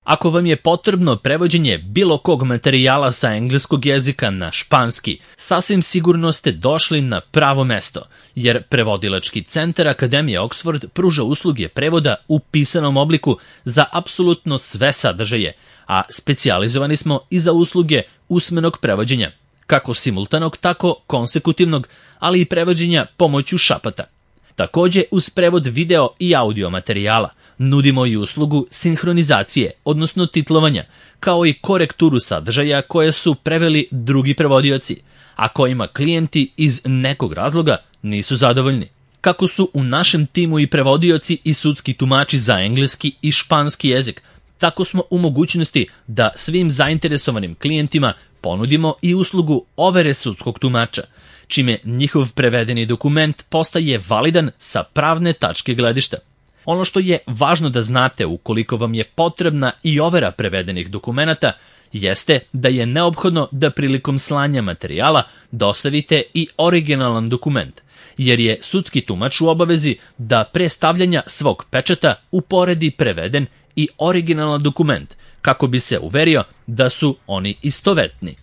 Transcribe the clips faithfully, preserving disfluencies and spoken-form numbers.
Ako vam je potrebno prevođenje bilo kog materijala sa engleskog jezika na španski, sasvim sigurno ste došli na pravo mesto, jer Prevodilački centar Akademije Oxford pruža usluge prevoda u pisanom obliku za apsolutno sve sadržaje, a specijalizovani smo i za usluge usmenog prevođenja, kako simultanog, tako konsekutivnog, ali i prevođenja pomoću šapata. Takođe, uz prevod video i audio materijala, nudimo i uslugu sinhronizacije, odnosno titlovanja, kao i korekturu sadržaja koje su preveli drugi prevodioci, a kojima klijenti iz nekog razloga nisu zadovoljni. Kako su u našem timu i prevodioci i sudski tumači za engleski i španski jezik, tako smo u mogućnosti da svim zainteresovanim klijentima ponudimo i uslugu overe sudskog tumača, čime njihov prevedeni dokument postaje validan sa pravne tačke gledišta. Ono što je važno da znate ukoliko vam je potrebna i overa prevedenih dokumenata jeste da je neophodno da prilikom slanja materijala dostavite i originalan dokument, jer je sudski tumač u obavezi da pre stavljanja svog pečata uporedi preveden i originalan dokument kako bi se uverio da su oni istovetni.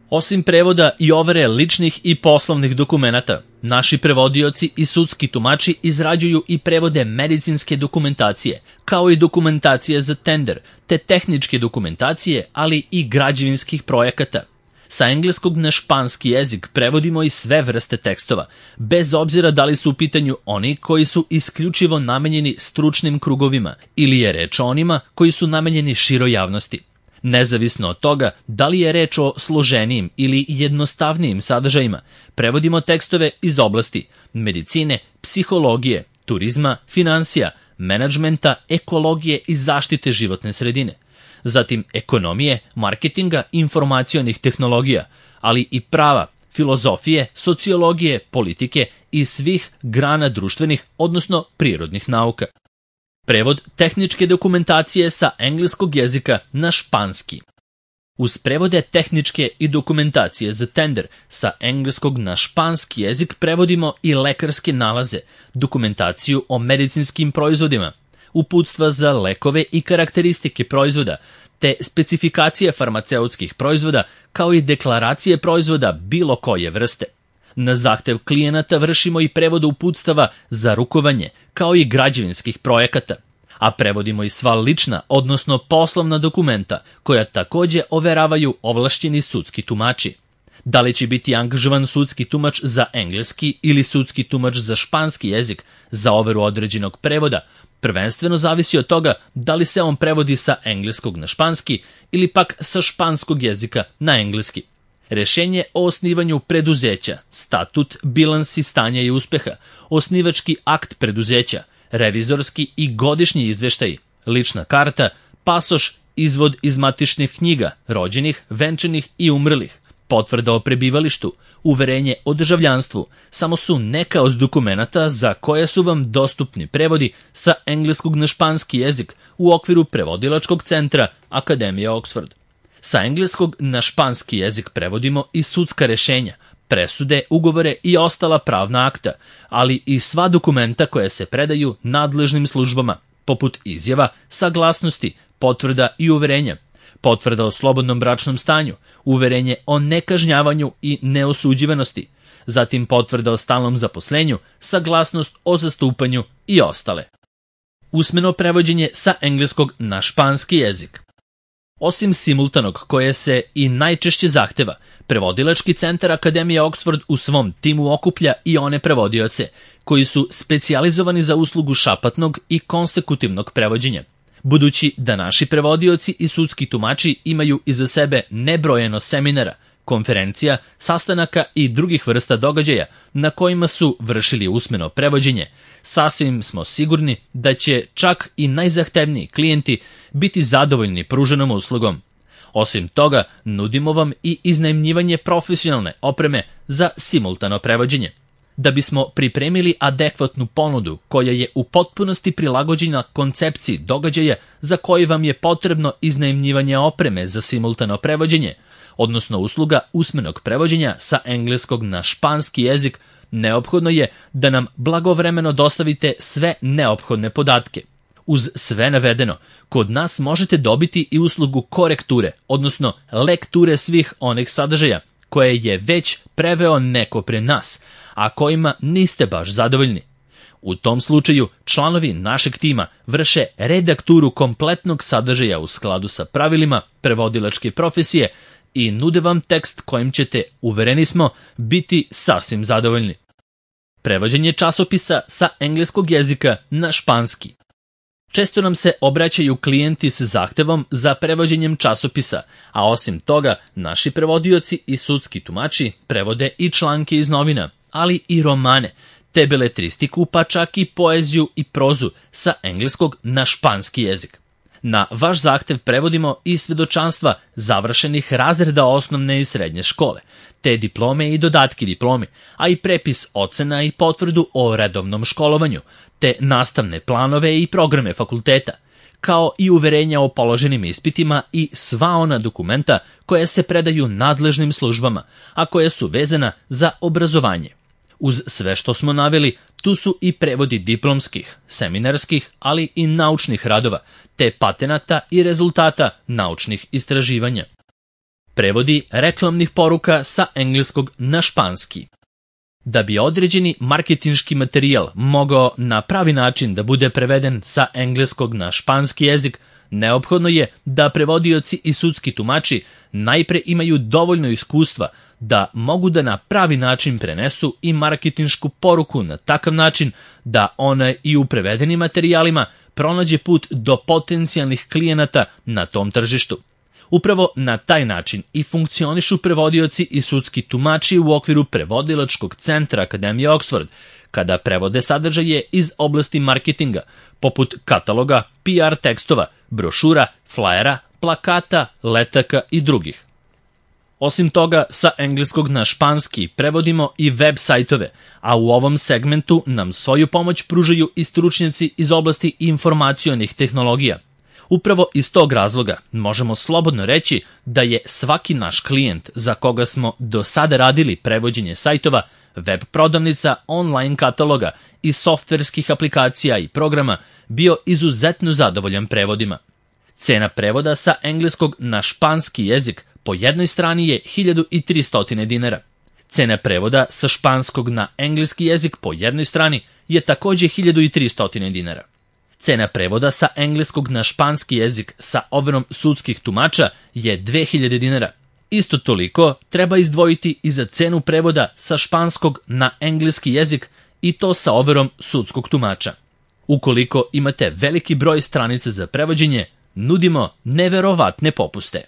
Osim prevoda i overe ličnih i poslovnih dokumenata, naši prevodioci i sudski tumači izrađuju i prevode medicinske dokumentacije, kao i dokumentacije za tender, te tehničke dokumentacije, ali i građevinskih projekata. Sa engleskog na španski jezik prevodimo i sve vrste tekstova, bez obzira da li su u pitanju oni koji su isključivo namenjeni stručnim krugovima ili je reč o onima koji su namenjeni široj javnosti. Nezavisno od toga da li je reč o složenijim ili jednostavnijim sadržajima, prevodimo tekstove iz oblasti medicine, psihologije, turizma, finansija, menadžmenta, ekologije i zaštite životne sredine, zatim ekonomije, marketinga, informacionih tehnologija, ali i prava, filozofije, sociologije, politike i svih grana društvenih, odnosno prirodnih nauka. Prevod tehničke dokumentacije sa engleskog jezika na španski. Uz prevode tehničke i dokumentacije za tender sa engleskog na španski jezik prevodimo i lekarske nalaze, dokumentaciju o medicinskim proizvodima, uputstva za lekove i karakteristike proizvoda, te specifikacije farmaceutskih proizvoda, kao i deklaracije proizvoda bilo koje vrste. Na zahtev klijenata vršimo i prevod uputstava za rukovanje, kao i građevinskih projekata, a prevodimo i sva lična, odnosno poslovna dokumenta, koja takođe overavaju ovlašćeni sudski tumači. Da li će biti angažovan sudski tumač za engleski ili sudski tumač za španski jezik za overu određenog prevoda, prvenstveno zavisi od toga da li se on prevodi sa engleskog na španski ili pak sa španskog jezika na engleski. Rešenje o osnivanju preduzeća, statut, bilansi stanja i uspeha, osnivački akt preduzeća, revizorski i godišnji izveštaj, lična karta, pasoš, izvod iz matičnih knjiga, rođenih, venčanih i umrlih, potvrda o prebivalištu, uverenje o državljanstvu, samo su neka od dokumenata za koje su vam dostupni prevodi sa engleskog na španski jezik u okviru Prevodilačkog centra Akademije Oxford. Sa engleskog na španski jezik prevodimo i sudska rešenja, presude, ugovore i ostala pravna akta, ali i sva dokumenta koja se predaju nadležnim službama, poput izjava, saglasnosti, potvrda i uverenja, potvrda o slobodnom bračnom stanju, uverenje o nekažnjavanju i neosuđivanosti, zatim potvrda o stalnom zaposlenju, saglasnost o zastupanju i ostale. Usmeno prevođenje sa engleskog na španski jezik. Osim simultanog koje se i najčešće zahteva, Prevodilački centar Akademije Oxford u svom timu okuplja i one prevodioce koji su specijalizovani za uslugu šapatnog i konsekutivnog prevođenja. Budući da naši prevodioci i sudski tumači imaju iza sebe nebrojeno seminara, konferencija, sastanaka i drugih vrsta događaja na kojima su vršili usmeno prevođenje, sasvim smo sigurni da će čak i najzahtevniji klijenti biti zadovoljni pruženom uslugom. Osim toga, nudimo vam i iznajmljivanje profesionalne opreme za simultano prevođenje. Da bismo pripremili adekvatnu ponudu koja je u potpunosti prilagođena koncepciji događaja za koji vam je potrebno iznajmljivanje opreme za simultano prevođenje, odnosno usluga usmenog prevođenja sa engleskog na španski jezik, neophodno je da nam blagovremeno dostavite sve neophodne podatke. Uz sve navedeno, kod nas možete dobiti i uslugu korekture, odnosno lekture svih onih sadržaja koje je već preveo neko pre nas, a kojima niste baš zadovoljni. U tom slučaju, članovi našeg tima vrše redakturu kompletnog sadržaja u skladu sa pravilima prevodilačke profesije i nude vam tekst kojim ćete, uvereni smo, biti sasvim zadovoljni. Prevođenje časopisa sa engleskog jezika na španski. Često nam se obraćaju klijenti s zahtevom za prevođenjem časopisa, a osim toga, naši prevodioci i sudski tumači prevode i članke iz novina, ali i romane, te beletristiku, pa čak i poeziju i prozu sa engleskog na španski jezik. Na vaš zahtev prevodimo i svedočanstva završenih razreda osnovne i srednje škole, te diplome i dodatki diplomi, a i prepis ocena i potvrdu o redovnom školovanju, te nastavne planove i programe fakulteta, kao i uverenja o položenim ispitima i sva ona dokumenta koja se predaju nadležnim službama, a koja su vezana za obrazovanje. Uz sve što smo naveli, tu su i prevodi diplomskih, seminarskih, ali i naučnih radova, te patenata i rezultata naučnih istraživanja. Prevodi reklamnih poruka sa engleskog na španski. Da bi određeni marketinški materijal mogao na pravi način da bude preveden sa engleskog na španski jezik, neophodno je da prevodioci i sudski tumači najpre imaju dovoljno iskustva da mogu da na pravi način prenesu i marketinšku poruku na takav način da ona i u prevedenim materijalima pronađe put do potencijalnih klijenata na tom tržištu. Upravo na taj način i funkcionišu prevodioci i sudski tumači u okviru prevodilačkog centra Akademije Oxford, kada prevode sadržaje iz oblasti marketinga, poput kataloga, P R tekstova, brošura, flajera, plakata, letaka i drugih. Osim toga, sa engleskog na španski prevodimo i web sajtove, a u ovom segmentu nam svoju pomoć pružaju i stručnjaci iz oblasti informacionih tehnologija. Upravo iz tog razloga možemo slobodno reći da je svaki naš klijent za koga smo do sada radili prevođenje sajtova, web prodavnica, online kataloga i softverskih aplikacija i programa bio izuzetno zadovoljan prevodima. Cena prevoda sa engleskog na španski jezik po jednoj strani je hiljadu tristo dinara. Cena prevoda sa španskog na engleski jezik po jednoj strani je takođe hiljadu tristo dinara. Cena prevoda sa engleskog na španski jezik sa overom sudskih tumača je dve hiljade dinara. Isto toliko treba izdvojiti i za cenu prevoda sa španskog na engleski jezik i to sa overom sudskog tumača. Ukoliko imate veliki broj stranica za prevođenje, nudimo neverovatne popuste.